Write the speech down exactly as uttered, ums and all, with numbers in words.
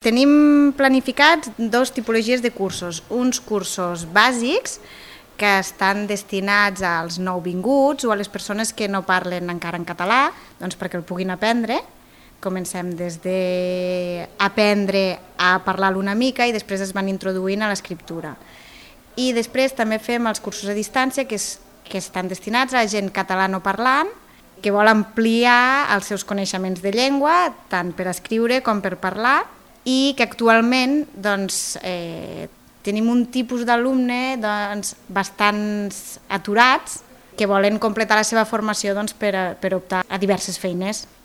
Tenim planificats dos tipologies de cursos. Uns cursos bàsics que estan destinats als nouvinguts o a les persones que no parlen encara en català, doncs perquè el puguin aprendre. Comencem des d'aprendre a parlar-lo una mica i després es van introduint a l'escriptura. I després també fem els cursos a distància que, és, que estan destinats a gent catalanoparlant que vol ampliar els seus coneixements de llengua, tant per escriure com per parlar, i que actualment doncs, eh, tenim un tipus d'alumne doncs, bastants aturats que volen completar la seva formació doncs, per, a, per optar a diverses feines.